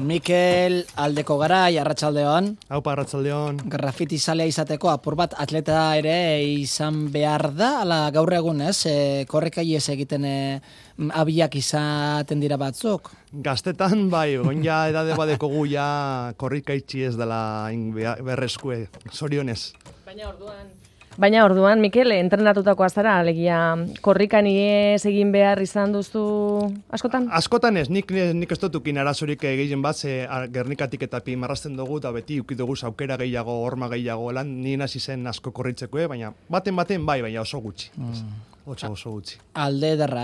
Mikel Aldeko Garai, arratsaldeon. Aupa, arratsaldeon. Grafiti zalea izateko apur bat atleta ere izan behar da, ala gaur egun ez, korrekaiez egiten abiak izaten dira batzuk. Gaztetan, bai, ja edade badeko gu ja korrikaitzi ez dela berreskue, zorionez. Baina orduan, Mikel, entrenatutakoa zara, alegia korrikan iez egin behar izan duzu askotan? Askotan ez, nik ez dutukin arazorik gehien bat, Gernikatik eta pi marrazten dugu, eta beti ukidugu aukera gehiago, horma gehiago, lan nien hasi zen asko korritzeko, baina baten bai, baina oso gutxi. Oso gutxi. Alde ederra,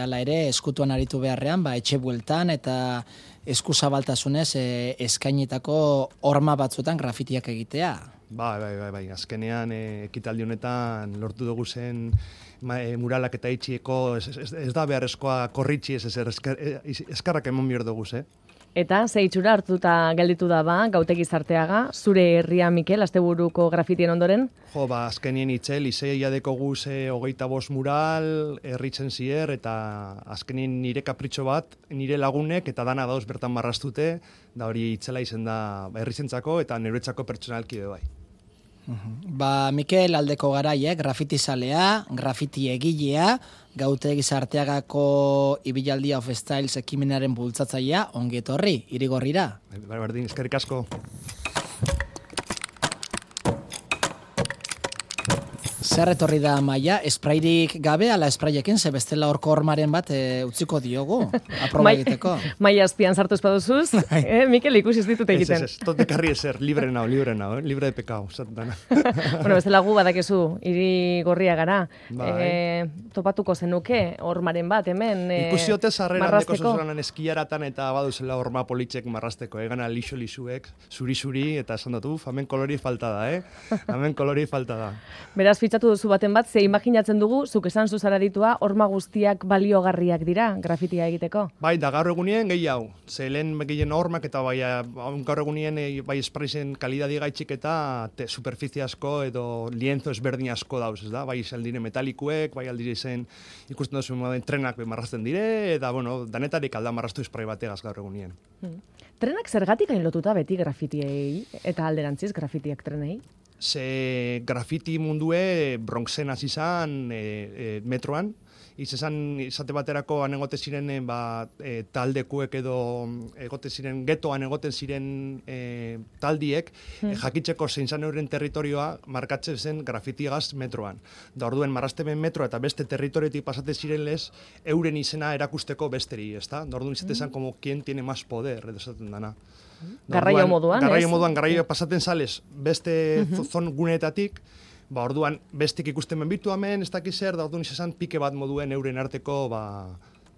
ala ere, eskutuan aritu beharrean, etxe bueltan eta eskuzabaltasunez eskainitako horma batzutan grafitiak egitea. Bai. Azkenean ekitaldi honetan lortu dugu zen muralak eta itxieko ez da beharrezkoa korritxi eskarrak emon behar dugu, Eta ze itxura hartuta gelditu da Gautegi Zarteaga, zure herria, Mikel, asteburuko grafitien ondoren? Azkenien itzel, izeia dekogu 25 mural, herritzen zier, eta azkenien nire kapritxo bat, nire lagunek, eta dana dauz bertan marrastute, da hori itzela izen da herrizentzako eta neuretzako pertsonalki bai. Mikel Aldeko Garai, grafiti zalea, grafiti egilea, Gautegi Zarteagako Ibilaldia of Styles ekimenaren bultzatzailea, ongi etorri, Irigorrira. Berdin, eskerrik asko. Zer etorri da Maia, esprairik gabe, ala espraiekin, ze bestela horko hormaren bat utziko diogu, aproba egiteko. Maia azpian sartu espaduzuz, Mikel ikusi ez ditut egiten. Ez, tot ekarri ezer, libre nao, libre de pekao. Bueno, bestela gu badakezu, Irigorria gara. Topatuko zenuke hormaren bat, hemen ikusi ote zarreran deko marrazteko. zozoranan eskiaratan eta baduzela horma politxek marrasteko, gana lixo-lixuek, zuri-zuri, eta esan dut, hemen kolori falta da, hemen kolori falta da. Beraz, fitxatu duzu baten bat, ze imaginatzen dugu, zuk esan zuzara ditua, horma guztiak baliogarriak dira, grafitia egiteko? Bai, da gaur egunien gehi hau. Ze lehen gehien hormak eta bai, gaur egunien bai espraizen kalidadi gaitxik eta superficie asko edo lienzo ezberdin asko dauz, ez da? Bai aldire metalikuek, bai aldire zen ikusten duzu trenak marrazten dire, eta bueno, danetarik alda marraztu esprai bategaz gaur egunien. Trenak zergatik hain lotuta beti grafitiei eta alderantziz grafitiak trenei? Ze grafiti mundue Bronxen hasi izan metroan, izate baterako egote ziren taldekuek edo egote ziren getoan egoten ziren taldiek jakitzeko zein zan euren territorioa markatzen zen grafitigaz metroan. Da orduen marraztemen metroa eta beste territorioetik pasate ziren lez euren izena erakusteko besteri, ezta? Da orduen izate zen como quien tiene más poder, edo esaten dana. Garraio moduan, garraio pasaten sales beste zon guneetatik, orduan bestik ikusten benbitu hemen, ez dakiz zer, da orduan izan pike bat moduen euren arteko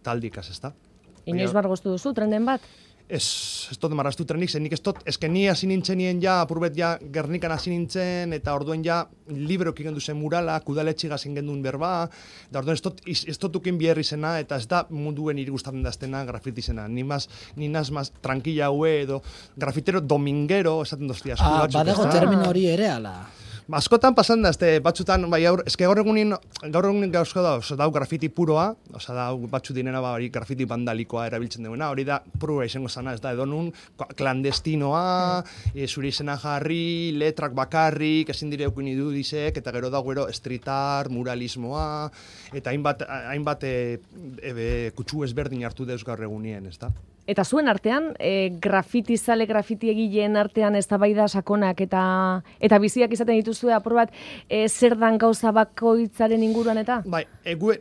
taldikaz, ez da? Inoiz bargoztu duzu, trenden bat? Ez dut marraztu trenik, nik ez dut, ni hasi nintzenien apurbet Gernikan hasi nintzen, eta orduen librok igen duzen murala, kudaletxiga zen gendun berba, da orduen ez dut ukin biherri zena, eta ez da munduen irigustatzen daztena grafiti zena. Ni naz tranquila haue edo grafitero domingero, esaten dozti asko batzuk. Badago termino hori ere, ala? Askotan pasan da, batzutan, eske gaur egunin gauzko da grafiti puroa, da batzu dinena grafiti bandalikoa erabiltzen duena, hori da purua izango zana, ez da, edo nun klandestinoa, zure izena jarri, letrak bakarrik, ezin dire eukin idudizek, eta gero da street art, muralismoa, eta hainbat kutsu ezberdin hartu deuz gaur egunien, ez da? Eta zuen artean, grafiti egileen artean eztabaida sakonak eta biziak izaten dituzue apur bat, zer dan gauza bakoitzaren inguruan eta? Bai,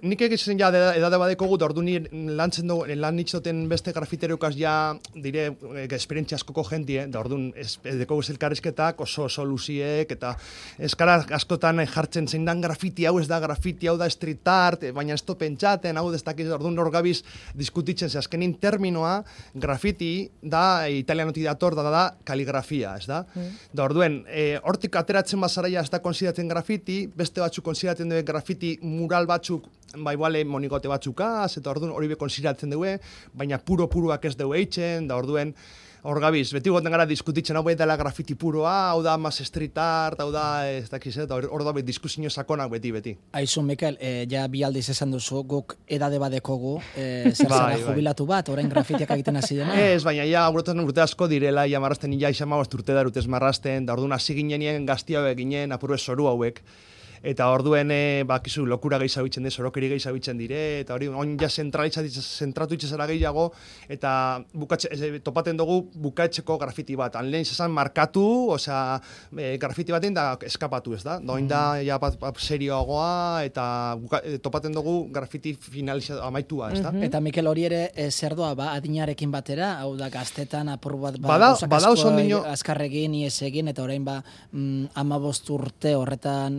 nik egiten edade badeko gut, ordu lan nitzoten beste grafitereukaz dire esperientzia askoko jentie, da orduan edeko elkarrizketak oso luziek, eta eskara askotan jartzen zein dan grafiti, hau ez da grafiti, hau da street art, baina ez to pentsaten, hau ez dakiz, orduan hor gabiz diskutitzen, ze azkenin terminoa, grafiti da italianotik dator da kaligrafia, ez da? Da orduen, hortik ateratzen bazaraia ez da konsideratzen grafiti, beste batzuk konsideratzen dugu grafiti mural batzuk, bale monigote batzukaz, eta orduen hori be konsideratzen dugu, baina puroak ez dugu eitzen, da orduen, hor gabiz, beti goten gara diskutitzen hau dela grafiti puroa, hau da mas street art, hau da, ez dakiz, eta hor da diskusio sakonak beti. Aizu, Mikel, ja bi aldiz esan duzu, guk edade badekogu, zer zara jubilatu bat, orain grafitiak egiten hasi dena? Ez, baina ja, urte asko direla, ja marrasten, ja izan urte da urtez marrasten, da orduan hasi ginenien gaztia hauek ginen, apurbe zoru hauek. Eta orduen, bakizu, lokura gehiago bitzen dire, sorokeri gehiago bitzen dire, eta hori, on ja zentratu itxezara gehiago, eta topaten dugu bukaetzeko grafiti bat. Lehen izan markatu, osea, grafiti baten da eskapatu, ez da? Doin da, ja, serioagoa, eta topaten dugu grafiti amaitua, ez da? Eta Mikel, hori ere, zer doa, adinarekin batera, hau da, gaztetan apur bat, azkarregin, ies egin, eta orain 15 urte horretan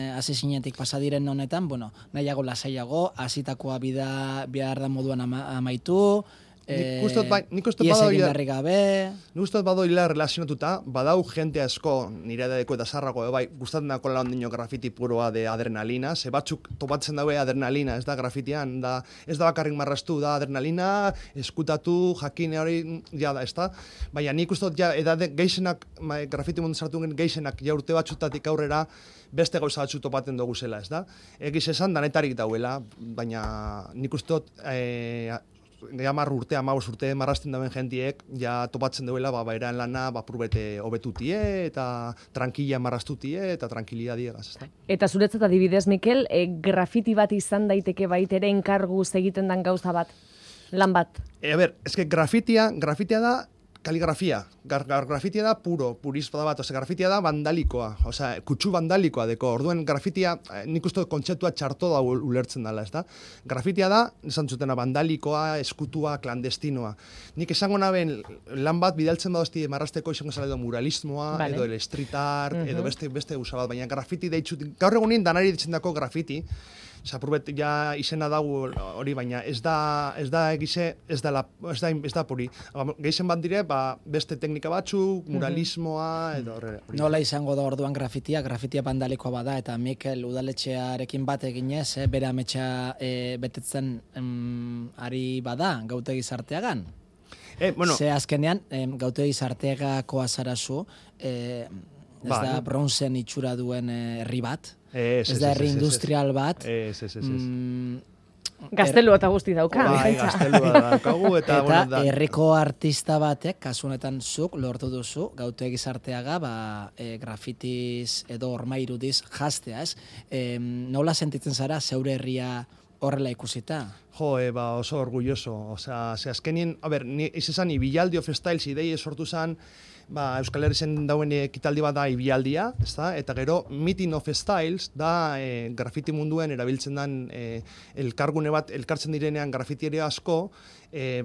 hasi zinetik pasadiren honetan, bueno, nahiago lasaiago, hasitakoa behar da moduan amaitu, nik ustot badoila relazionatuta, badau jente asko, nire edadeko eta zarrako, bai, gustatzen dako lan dino grafiti puroa de adrenalina, ze batzuk topatzen daue adrenalina, ez da grafitian, ez da bakarrik marrastu, da adrenalina, eskutatu, jakine hori, ja da, ez da? Baina nik ustot, ja, edade geixenak, grafiti mundu sartu gen geixenak, ja urte batzutatik aurrera, beste gauza batzu topaten dugu zela, ez da? Egiz esan, danetarik dauela, baina nik ustot, 10 urte, 15 urte marrasten dauen jentiek, ja topatzen duela, bairan lana, purbete hobetutie, eta tranquila marrastutie, eta tranquilidad diegaz, ez da? Eta zuretzat adibidez, Mikel, grafiti bat izan daiteke baitere enkarguz egiten dan gauza bat, lan bat? Grafitia da kaligrafia. Grafitia da purismo bat, grafitia da vandalikoa, kutsu vandalikoa deko. Orduen grafitia, nik uste kontzeptua txarto da ulertzen dela, ez da? Grafitia da, esan zutena, vandalikoa, eskutua, klandestinoa. Nik esango naben lan bat bidaltzen badozti marrasteko izango zala edo muralismoa, edo el street art, edo beste usa bat, baina grafiti deitzut, gaur egunin danari ditzen dako grafiti, Zapurbet ja izena dago hori, baina ez da egize, ez da puri. Gehizen bat dire, beste teknika batzuk, muralismoa, edo horre. Nola izango da orduan grafitia bandalikoa bada, eta Mikel udaletxearekin bat eginez, bere ametsa betetzen ari bada, gautegi zarteagan. Ze azkenean, gautegi zarteagakoa zarazu, ez da bronzen itxura duen herri bat, ez da herri industrial bat. Gaztelua eta guzti dauka. Gaztelua daukagu eta herriko artista batek, kasu honetan zuk lortu duzu, gautegi zarteaga, grafitiz edo ormairudiz jaztea, ez? Nola sentitzen zara zeure herria horrela ikusita? Oso orgulloso. Azkenien, izan Ibilaldi of Styles ideie sortu zen, Euskal Herrizen dauen ekitaldi bat da Ibialdia, eta gero Meeting of Styles da grafiti munduen erabiltzen den elkargune bat, elkartzen direnean grafitieria asko,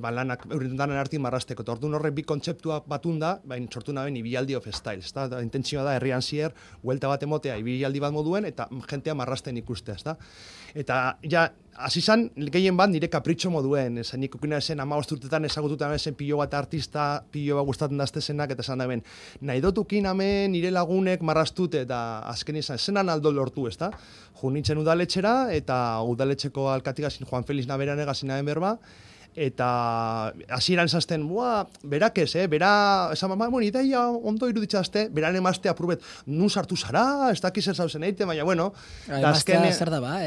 lanak eurintanen arti marrasteko. Orduan horrek bi kontzeptua batunda, sortu naben Ibialdi of Styles. Intentzioa da herrian zier, huelta bat emotea Ibialdi bat moduen, eta jentea marrasten ikustea. Eta ja, hasi zan, gehien bat nire kapritxo moduen, nik ukina esen 15 urtetan ezagututan esen pilo bat artista, pilo bat gustatzen daztezenak, eta esan daben, nahi dotukin hemen nire lagunek marrastute, eta azken izan, zenan aldo lortu, ez da? Nintzen udaletxera, eta udaletxeko alkatigazin Juan Feliz Naberan egazin nahen berba, eta hasieran esazten, berak ez, esan, ideia ondo iruditzazte, beran emazte apurbet, nun sartu zara, ez dakiz ez zauzen eite, baina, bueno. Emaztea zer da ba,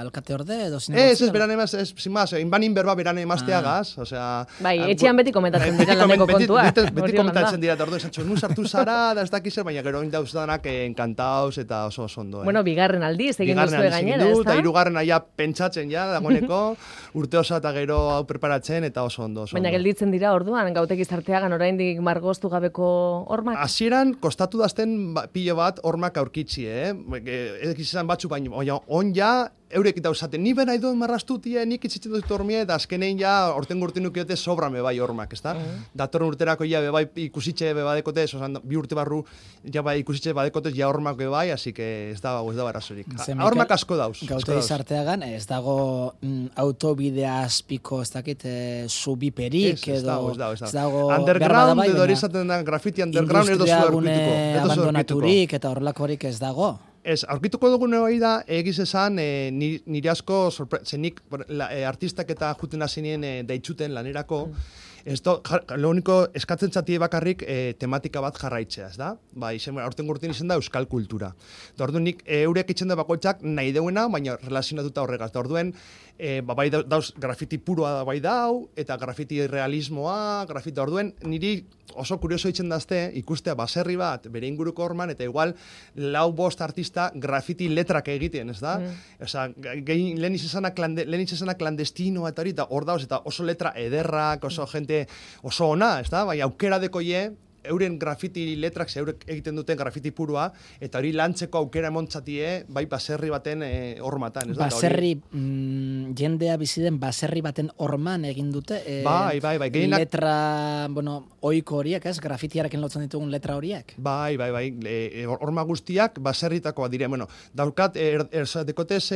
alkate orde edo zinegozio? Ez, beran emazte, sin más, inbanin berba beran emazteagaz, osea... Bai, etxean beti komentatzen dira laneko kontua. Beti komentatzen dira, eta ordu esatxo, nun sartu zara, da ez dakiz ez, baina gero indauz danak enkantauz eta oso ondo. Bueno, bigarren aldiz, egin duzue gainera, ez da? Eta hirugarren aia pentsatzen ja, dagoeneko, urte osa eta gero hau preparatzen eta oso ondo. Baina gelditzen dira orduan, gautegi zarteagan oraindik margoztu gabeko hormak? Hasieran kostatu dazten pilo bat hormak aurkitzi, izan batzu, baina on ja, eurek eta usaten, ni bera iduen marrastutie, nik itzitzen dut hormie, eta azkenein ja, orten gurtin nukiote sobrame bai hormak, ez da? Datorren urterako ja, bai ikusitxe bebadekote, bi urte barru, ja bai ikusitxe badekotez, ja hormak bebai, así que ez da barazorik. Hormak asko dauz. Gautegi zarteagan, ez dago autobidea azpiko, ez dakit, zubiperik, edo... Ez dago... Underground, edo hori izaten da, graffiti underground, edo zu aurkituko. Abandonaturik, eta horrelakorik ez dago. Ez, aurkituko dugun hori da, egiz esan, nire asko, zenik artistak eta juten hazinien deitzuten lanerako, Lo único eskatzen zatie bakarrik tematika bat jarraitzea, ez da? Ba, aurten gurtin izan da euskal kultura. Da orduan nik eurek itzen da bakoitzak nahi deuena, baina relazionatuta horregaz. Da orduan, bai dauz grafiti puroa bai dau, eta grafiti realismoa, grafiti orduen, niri oso kurioso itzen dazte, ikustea baserri bat, bere inguruko horman, eta igual, 4-5 artista grafiti letrak egiten, ez da? Osea, lehen izan klandestinoa eta hori, eta hor dauz, eta oso letra ederrak, oso jente, oso ona, ez da? Bai, aukera dekoie, euren grafiti letrak, eurek egiten duten grafiti purua, eta hori lantzeko aukera emontzatie, bai baserri baten hormatan. Baserri, jendea biziden baserri baten horman egin dute. Bai. Letra, oiko horiek, ez? Grafitiarekin lotzen ditugun letra horiek. Bai. Horma guztiak baserritakoa dire. Daukat, dekotez...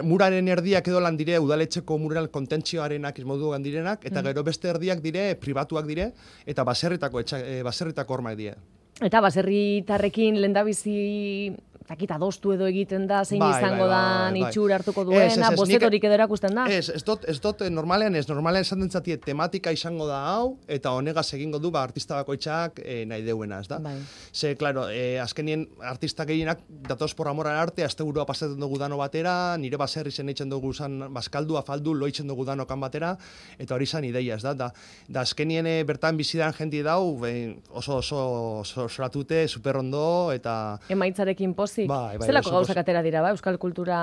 muraren erdiak edo lan dire, udaletxeko mural kontentzioarenak izmoduan direnak, eta gero beste erdiak dire, pribatuak dire, eta baserritako hormak dire. Eta baserritarrekin lehendabizi takita adostu edo egiten da, zein izango da itxura hartuko duena, bozetorik edo erakusten da? Ez dut normalean esan dentzatie tematika izango da hau, eta honegaz egingo du artista bakoitzak nahi deuena, ez da? Ze, klaro, azkenien artista gehienak datoz por amor al arte, azte burua pasatzen dugu dano batera, nire baserri zen eitzen dugu zan bazkaldu, afaldu, loitzen dugu danokan batera, eta hori zan ideia, ez da? Da azkenien bertan bizidan jenti dau, oso soratute, superrondo, eta... Emaitzarekin pozik. Zelako gauzak atera dira, euskal kultura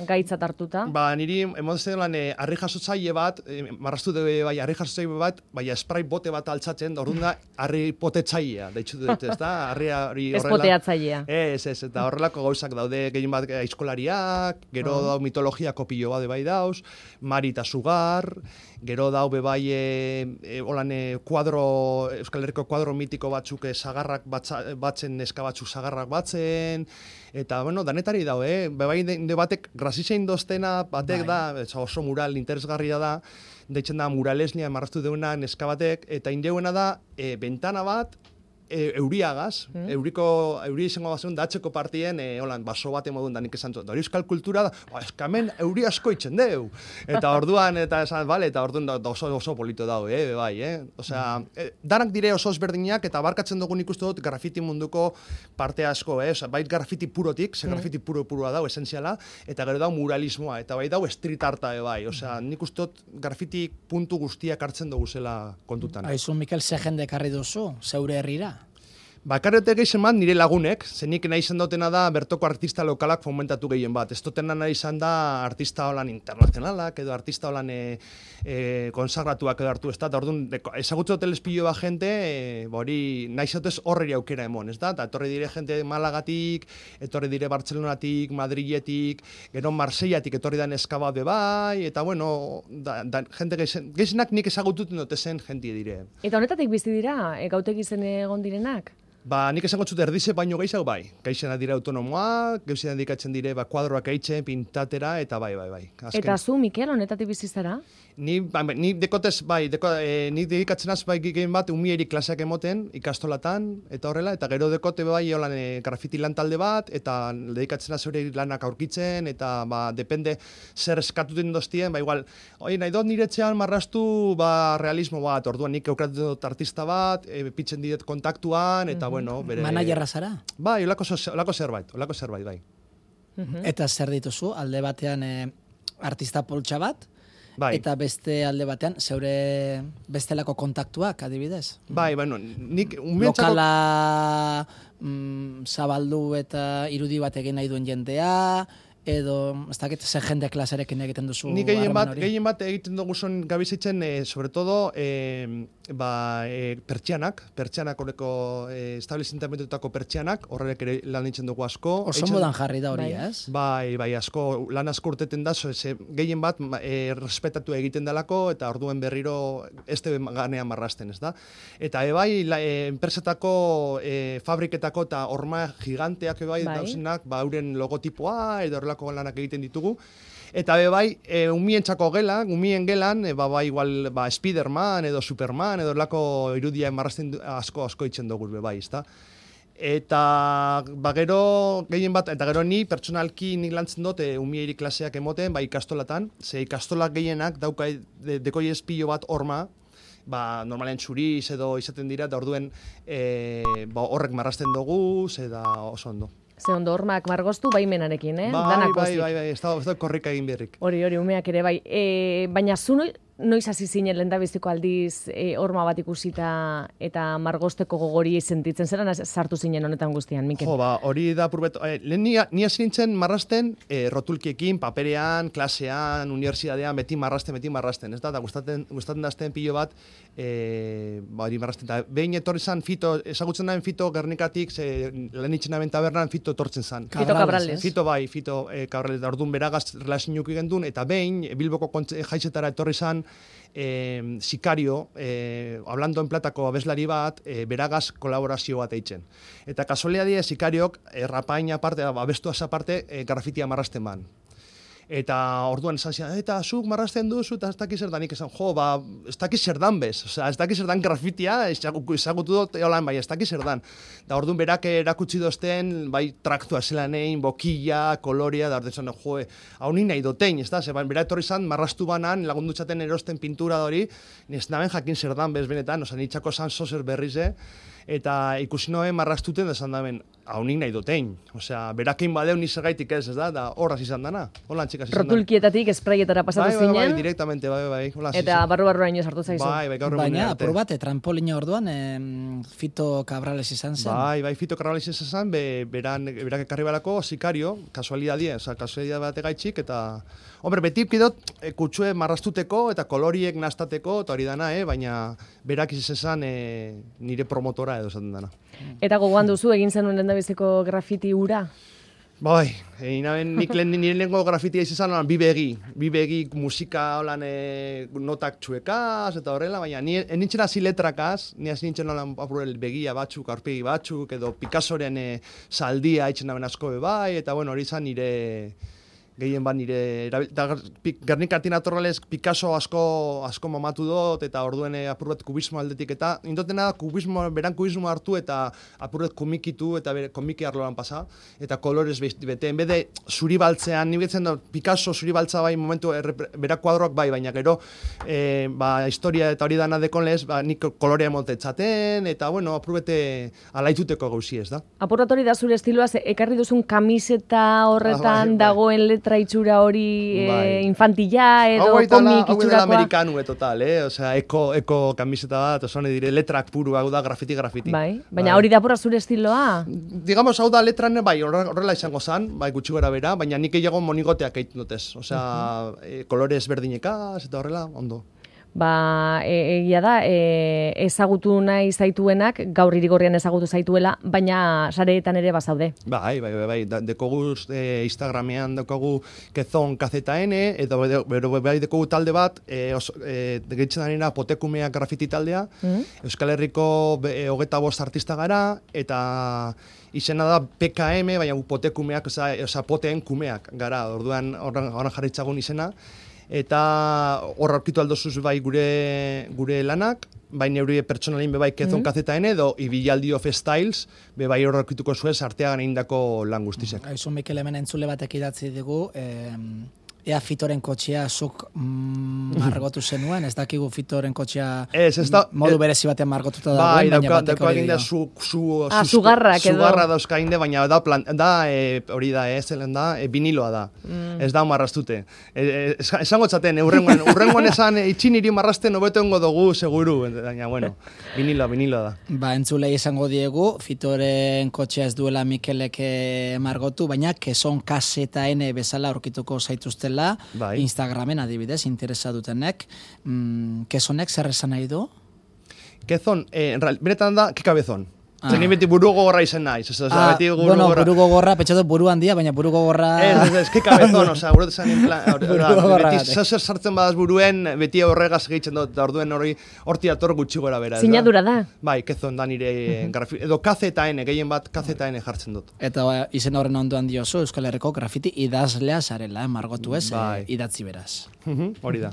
gaitzat hartuta? Niri emozen lan harri jasotzaile bat, marraztu dube bai harri jasotzaile bat, bai spray bote bat altzatzen, orduan da harri potetzailea, deitzu dut, ez da? Ez poteatzailea. Ez, eta horrelako gauzak daude gehien bat aizkolariak, gero dau mitologiako pilo bat bai dauz, Mari eta Sugar, gero dau bebai Euskal Herriko kuadro mitiko batzuk sagarrak batzen, neska batzuk sagarrak batzen, eta, danetari dau, bebai de batek grazizein doztena, batek da, oso mural interesgarria da, deitzen da muralesnia marraztu deuna neska batek, eta indeuena da, bentana bat, euriagaz, euri izango bazen datxeko partien, baso bate modun da nik esan dut. Hori euskal kultura da, eskamen euri asko itzen deu. Eta orduan, eta orduan oso polito dau, bai. Osea, danak dire oso ezberdinak, eta barkatzen dugun ikustu dut grafiti munduko parte asko, osea, bai grafiti purotik, ze grafiti puroa dau, esenziala, eta gero dau muralismoa, eta bai dau street arta, bai. Osea, nik uste dut grafiti puntu guztiak hartzen dugu zela kontutan. Aizu, Mikel, ze jende karri duzu, zeure herrira? Bakarrete gehien bat nire lagunek, zenik nahi izan dutena da bertoko artista lokalak fomentatu gehien bat. Ez dutena nahi izan da artista holan internazionalak, edo artista holan konsagratuak edo hartu, ez da? Orduan, ezagutze hotel espillo bat jente, hori nahi zautez horreri aukera emon, ez da? Eta etorri dire jente Malagatik, etorri dire Bartzelonatik, Madriletik, gero Marseillatik etorri da neska bat bebai, eta jente gehienak nik ezagututen dute zen jentie dire. Eta honetatik bizi dira, gautegi zen egon direnak? Nik esango txut erdize baino gehiago bai. Gaixena dira autonomoa, gaixena dikatzen dire kuadroak eitzen, pintatera, eta bai. Azken. Eta zu, Mikel, honetatik bizizara? Ni dekotez, ni dedikatzen az bai gehien bat umieri klaseak emoten, ikastolatan, eta horrela, eta gero dekote bai holan grafiti lan talde bat, eta dedikatzen az hori lanak aurkitzen, eta depende zer eskatuten doztien, igual, nahi dut niretzean marraztu realismo bat, orduan nik eukratzen dut artista bat, pitzen diret kontaktuan, eta bere... Managerra zara? Bai, olako zerbait, bai. Eta zer dituzu, alde batean artista poltsa bat, eta beste alde batean, zeure bestelako kontaktuak, adibidez? Bai, nik... Lokala zabaldu eta irudi bat egin nahi duen jendea, edo, ez dakit, zer jende klaserekin egiten duzu nik gehien bat egiten dugu zon gabizitzen, sobre todo, pertsianak horreko establezintamentetako pertsianak, horrek ere lan itzen dugu asko. Oso modan jarri da hori, ez? Bai, asko, lan asko urteten da, gehien bat respetatu egiten dalako, eta orduen berriro ez tebe ganean marrasten, ez da? Eta enpresetako, fabriketako eta horma giganteak dauzenak, euren logotipoa, edo horrelako lanak egiten ditugu. Eta umientzako umien gelan, igual Spiderman edo Superman edo horrelako irudia marrazten asko itzen dugu, ezta? Eta gero gehien bat, eta gero ni pertsonalki nik lantzen dut umieri klaseak emoten, ikastolatan, ze ikastolak gehienak dauka dekoi espilo bat horma, normalen txuriz edo izaten dira, eta orduen horrek marrasten dugu, da oso ondo. Ze ondo hormak margoztu baimenarekin, Bai, ez da korrika egin berrik. Hori, umeak ere bai. Baina zu noiz hasi zinen lehendabiziko aldiz horma bat ikusita eta margozteko gogori sentitzen zeran sartu zinen honetan guztian, Mikel? Hori da purbet. Ni hasi nintzen marrasten rotulkiekin, paperean, klasean, unibertsitatean, beti marrasten, ez da? Eta gustatzen dazten pilo bat, hori marrasten. Eta behin etorri zan Fito, ezagutzen daen Fito Gernikatik, lehen itxenaben tabernan Fito etortzen zan. Fito Cabrales. Fito Cabrales, da orduan beragaz relazionuki gendun, eta behin Bilboko jaizetara etorri zan, Sikario, Hablando en Platako abeslari bat, beragaz kolaborazio bat eitzen. Eta kasualia die Sikariok, rapaina aparte, abestuaz aparte, grafitia marrasten ban. Eta orduan esan zian, eta zuk marrasten duzu, eta ez dakiz zer danik esan, ez dakiz zer dan bez, ez dakiz zer dan grafitia, ezagutu dut, bai, ez dakiz zer dan. Da orduan berak erakutsi dozten, bai, traktua zelanein, bokilla, koloria, da orduan, hau nik nahi dotein, ez da, berak etorri zan, marrastu banan, lagundutxaten erosten pintura hori, ez naben jakin zer dan bez benetan, nitxako zan zozer berrize, eta ikusi noen marrastuten da esan daben, hau nik nahi dotein. Berakein badeu nizagaitik ez da, horraz izan dana. Rotulkietatik, espraietara pasatu zinen. Bai, direktamente, bai. Eta barru-barrura ino sartu zaizu. Baina, apur bat, trampolina orduan, Fito Cabrales izan zen. Bai, Fito Cabrales izan zen, berak ekarri balako, Sikario, kasualidadie, kasualidad bat egaitxik, eta... Hombre, beti pidot kutsue marrastuteko eta koloriek nastateko, eta hori dana, baina berak izan nire promotora edo zaten dana. Eta gogoan duzu egin zenuen lehendabiziko grafiti hura? Bai, nik nire lehenko grafitia izan bi begi musika holan notak txuekaz eta horrela, baina nintzen hasi letrakaz, ni hasi nintzen holan apurel begia batzuk, aurpegi batzuk, edo Picassoren zaldia itxen daben asko bai, eta bueno, hori izan nire... Gehien bat nire, Gernikartin atorralez Picasso asko mamatu dut, eta orduen apurret kubismo aldetik, eta indotena beran kubismo hartu eta apurret komikitu eta komiki arloan pasa, eta kolorez bete, en bede zuri baltzean, ni betzen da Picasso zuri baltza bai momentu, berak kuadroak bai, baina gero, historia eta hori dana dekonlez, nik kolorea motetzaten, eta bueno, apurrete alaituteko gauzi ez da. Apurret hori da zure estiloaz, ekarri duzun kamiseta horretan dagoen letra itxura hori infantila edo komik itxurakoa. Hau dela amerikanu total, eko kamiseta bat, osone dire, letrak puru, hau da grafiti. Bai, baina hori da apurra zure estiloa? Digamos, hau da letran, bai, horrela izango zan, bai, gutxi gara bera, baina nik egiago monigoteak egiten dutez. Kolorez berdinekaz, eta horrela, ondo. Egia da, ezagutu nahi zaituenak, gaur irigorrian ezagutu zaituela, baina sareetan ere bazaude. Bai, dekoguz Instagramean dekogu kezon KZN, eta bai dekogu talde bat, gehitzen danena Potekumeak grafiti taldea, Euskal Herriko 25 artista gara, eta izena da PKM, baina Potekumeak, poteen kumeak gara, orduan horren jarritzagun izena, eta hor aurkitu aldozuz bai gure lanak, bai neuri pertsonalin bebai kezon KZN edo Ibilaldi of Styles, bebai hor aurkituko zuez arteagan egindako lan guztizek. Aizu Mikel hemen entzule batek idatzi dugu, ea Fitoren kotxea zuk margotu zenuen, ez dakigu Fitoren kotxea modu berezi batean margotuta dagoen, baina bateko hori da. Sugarra dauzka inde, baina da hori da, zelen da, viniloa da. Ez da marrastute. Esango txaten, urrengoan esan itxin iri marrasten hobeto engo dugu, seguru, baina, bueno, viniloa da. Entzulei esango diegu, Fitoren kotxea ez duela Mikelek margotu, baina kezon KZN bezala aurkituko zaituzten Instagramen adibidez, interesa dutenek. Kezonek zer esan nahi du? Kezon, benetan da, kekabezon. Zeni beti buru gogorra izen naiz. Buru gogorra, petxatu buru handia, baina buru gogorra... Ez kekabezon, buru desan en plan... Beti zer sartzen badaz buruen, beti horregaz gehitzen dut, da orduen horti ator gutxi gora bera. Sinadura da? Bai, kezon da nire grafiti, edo KZN, gehien bat KZN jartzen dut. Eta izen horren ondoan diozu, Euskal Herriko grafiti idazlea zarela, margotu ez, idatzi beraz. Hori da.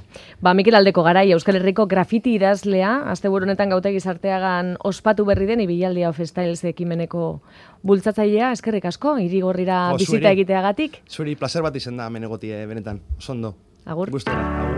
Mikel Aldeko Garai, Euskal Herriko grafiti idazlea, asteburu honetan Gautegi Sarteagan ospatu berri den Ibilaldi of Styles ekimeneko bultzatzailea, eskerrik asko, Irigorrira bizita egiteagatik. Zuri placer bat izen da hemen egotie, benetan, osondo. Agur. Gustora, agur.